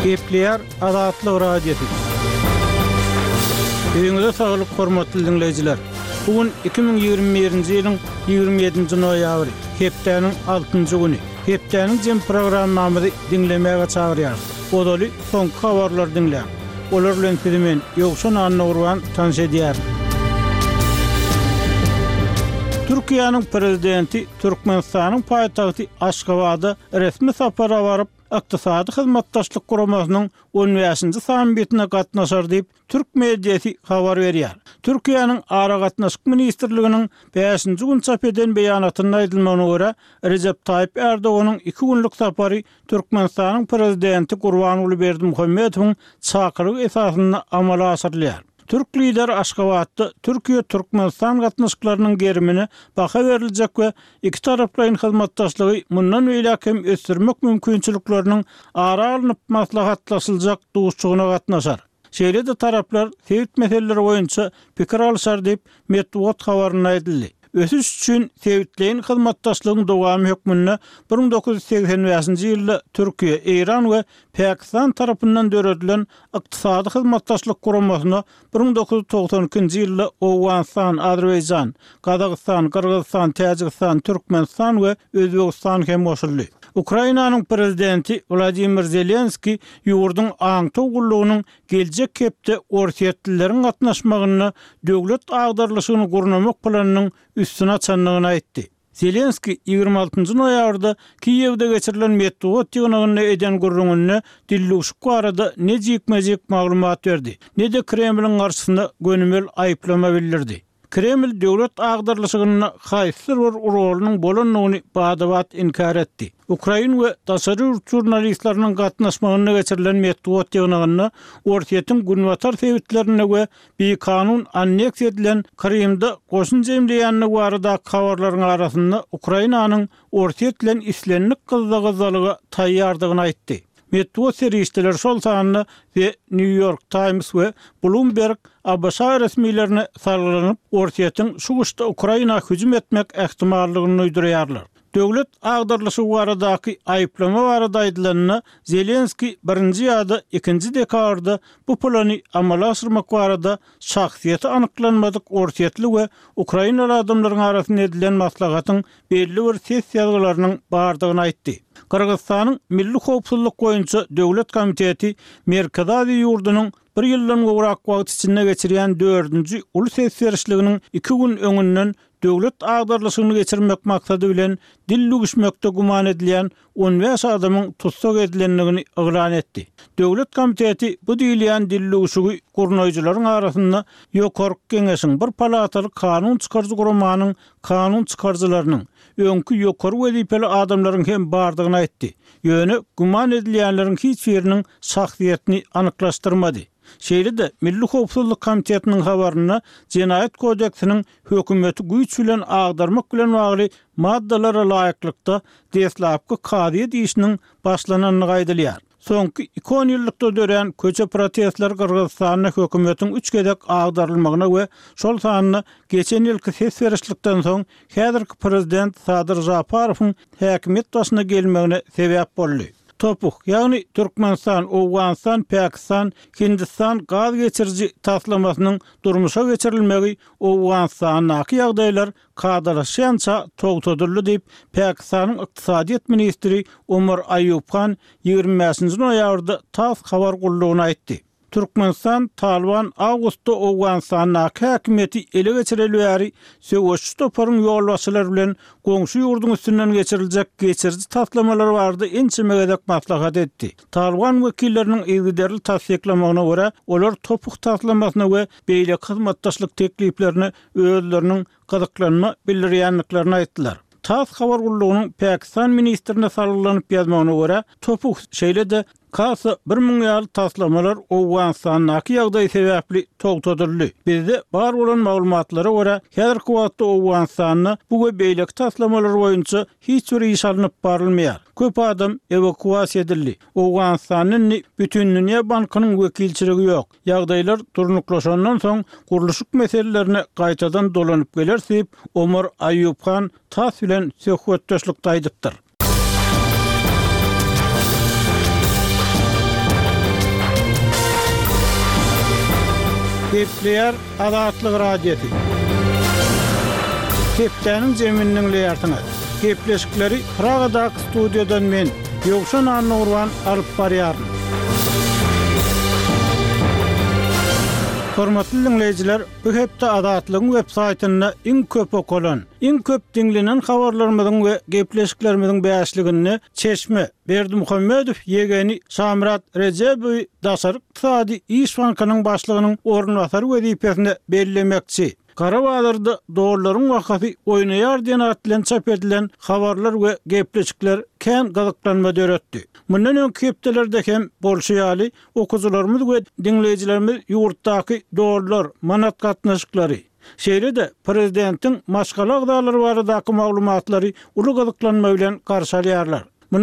Gepleýär Azatlyk Radiosy. Öýüňize saglyk hormatly diňleýjiler. Bu gün 2021-nji ýylyň 27-nji noýabry, hepdäniň altynjy güni. Hepdäniň jem programmamyzy diňlemäge çagyrýarys. Ozaly soňky habarlary diňläň. Olar bilen sizi men, Ýowşan Annagurban, tanyş edýärin. Türkiýäniň Prezidenti Türkmenistanyň paýtagty Aşgabada resmi sapara baryp, Ykdysady Hyzmatdaşlyk Guramasynyň on bäşinji sammitine gatnaşar diýip, türk mediasy habar berýär. Türkiýäniň Aragatnaşyk ministrliginiň bäşinji gün çap eden beýanatynda aýdylmagyna görä, Rejep Taýyp Ärdoganyň iki günlük sapary Türkmenistanyň Prezidenti Gurbanguly Berdimuhamedowyň çakylygy esasynda amala aşyrylýar. Türk Lideri Aşgabatda Türkiýe-Türkmenistan gatnaşyklarynyň gerimine baha beriljek we ikitaraplaýyn hyzmatdaşlygy mundan beýläk hem ösdürmek mümkinçilikleriniň ara alnyp maslahatlaşyljak duşuşygyna gatnaşar. Şeýle-de taraplar sebit meseleleri boýunça pikir alyşar diýip, metbugat habarynda aýdyldy. Ösüş üçin sebitleýin hyzmatdaşlygyň dowamy hökmünde 1985-nji ýylda Türkiýe, Eýran we Pakistan tarapyndan döredilen Ykdysady Hyzmatdaşlyk Guramasyna 1992-nji ýylda Owganystan, Azerbaýjan, Gazagystan, Gyrgyzystan, Täjigistan, Türkmenistan we Özbegistan hem goşuldy. Ukrainanyň prezidenti Wladimir Zelenskiý ýurduň aňtaw gullugynyň geljek hepde orsýetlileriň gatnaşmagynda döwlet agdarylyşygyny gurnamak planynyň üstüni açandygyny aýtdy. Zelenskiý 26 noýabrda Kiýewde geçirilen metbugat ýygnagynda eden gürrüňinde dildüwşük barada ne jikme-jik maglumat berdi, ne-de Kremliň garşysyna gönümel aýyplama bildirdi. Kreml döwlet agdarylyşygynda haýsydyr bir rolunyň bolandygyny bada-bat inkär etdi. Ukrain we daşary ýurt žurnalistleriniň gatnaşmagynda geçirilen metbugat ýygnagynda Orsýetiň günbatar sebitlerinde we bikanun anneksiýa edilen Krymda goşun jemleýändigi baradaky habarlaryň arasynda Ukrainanyň Orsýet bilen islendik gyzza-gyzzalyga taýýardygyny aýtdy. Metbugat serişdeleri, şol sanda The New York Times we Bloomberg ABŞ resmilerine salgylanyp, Orsýetiň şu gyşda Ukraina hüjüm etmek ähtimallygyny duýdurýarlar. Döwlet agdarylyşygy baradaky aýyplama barada aýdylanda, Zelenskiý birinji ýa-da ikinji dekabrda bu plany amala aşyrmak barada şahsyýeti anyklanmadyk orsýetli we ukrainaly adamlaryň arasynda edilen maslahatyň belli bir ses ýazgylarynyň bardygyny aýtdy. Gyrgyzystanyň Milli howpsuzlyk boýunça döwlet komiteti Merkezi Aziýa ýurdunyň bir ýyldan gowrak wagt içinde geçirýän dördünji uly ses berişliginiň iki gün öňünden döwlet agdarylyşygyny geçirmek maksady bilen dil düwüşmekde güman edilýän 15 adamyň tussag edilendigini yglan etdi. Döwlet komiteti bu diýilýän dildüwşügi gurnaýjylaryň arasynda Ýokarky Geňeşiň, bir palataly kanun çykaryjy guramanyň kanun çykaryjylarynyň, öňki ýokary wezipeli adamlaryň hem bardygyny aýtdy. Ýöne güman edilýänleriň hiç biriniň şahsyýetini anyklaşdyrmady. Şeýle-de, Milli howpsuzlyk komitetiniň habarynda Jenaýat kodeksiniň hökümeti güýç bilen agdarmak bilen bagly maddalara laýyklykda deslapky kazyýet işiniň başlanandygy aýdylýar. Soňky iki onýyllykda dörän köçe protestleri Gyrgyzystanda hökümetiň üç gezek agdarylmagyna we şol sanda geçen ýylky ses berişlikden soň häzirki prezident Sadyr Žaparowyň häkimiýet başyna gelmegine sebäp boldy. TOPH, ýagny Türkmenistan, Owganystan, Pakistan, Hindistan gaz geçiriji taslamasynyň durmuşa geçirilmegi Owganystandaky ýagdaýlar kadalaşýança togtadyldy diýip, Pakistanyň ykdysadyýet ministri Omar Aýub Han 25-nji noýabrda tass habar gullugyna aýtdy. Türkmenistan Talyban awgustda Owganystandaky häkimiýeti ele geçireli bäri söweşçi toparyň ýolbaşçylary bilen goňşy ýurduň üstünden geçiriljek geçiriji taslamalar barada ençeme gezek maslahat etdi. Talyban wekilleriniň yzygiderli tassyklamagyna görä, olar TOPH taslamasyna we beýleki hyzmatdaşlyk tekliplerine özleriniň gyzyklanma bildirýändiklerini aýtdylar. Tass habar gullugynyň pakistan ministrine salgylanyp ýazmagyna görä, TOPH şeýle-de Kasa 1000 ýaly taslamalar Owganystandaky ýagdaý sebäpli togtadyldy. Bizde bar bolan maglumatlara görä, häzirki wagtda Owganystanda bu we beýleki taslamalar boýunça hiç bir iş alnyp barylmaýar. Köp adam ewakuasiýa edildi. Owganystanda indi Bütindünýä bankynyň wekilçiligi ýok. Ýagdaýlar durnuklaşandan soň gurluşyk meselelerine gaýtadan dolanyp geleris diýip, Omar Aýub Han tass bilen söhbetdeşlikde aýdypdyr. Gepleýär Azatlyk Radiosy. Hepdäniň jemini diňleýärsiňiz. Gepleşikleri Pragadaky studiýadan men, Ýowşan Annagurban alyp barýaryn. Hormatly diňleýjiler, bu hepde Azatlygyň web saýtynda iň köp okalan, iň köp diňlenen habarlarymyzyň we gepleşiklerimiziň bäşliginde Çeşme, Berdimuhamedow ýegeni Şamyrat Rejebowy daşary ykdysady iş bankynyň başlygynyň orunbasary wezipesine bellemekçi. Gara bazarda dollaryň bahasy oýnaýar diýen at bilen çap edilen habarlar we gepleşikler kän gyzyklanma döretdi. Mundan öňki hepdelerde hem bolşy ýaly, okyjylarymyz we diňleýjilerimiz ýurtdaky dollar, manat gatnaşyklary, şeýle-de prezidentiň maşgala agzalary baradaky maglumatlary uly gyzyklanma bilen garşy alýarlar.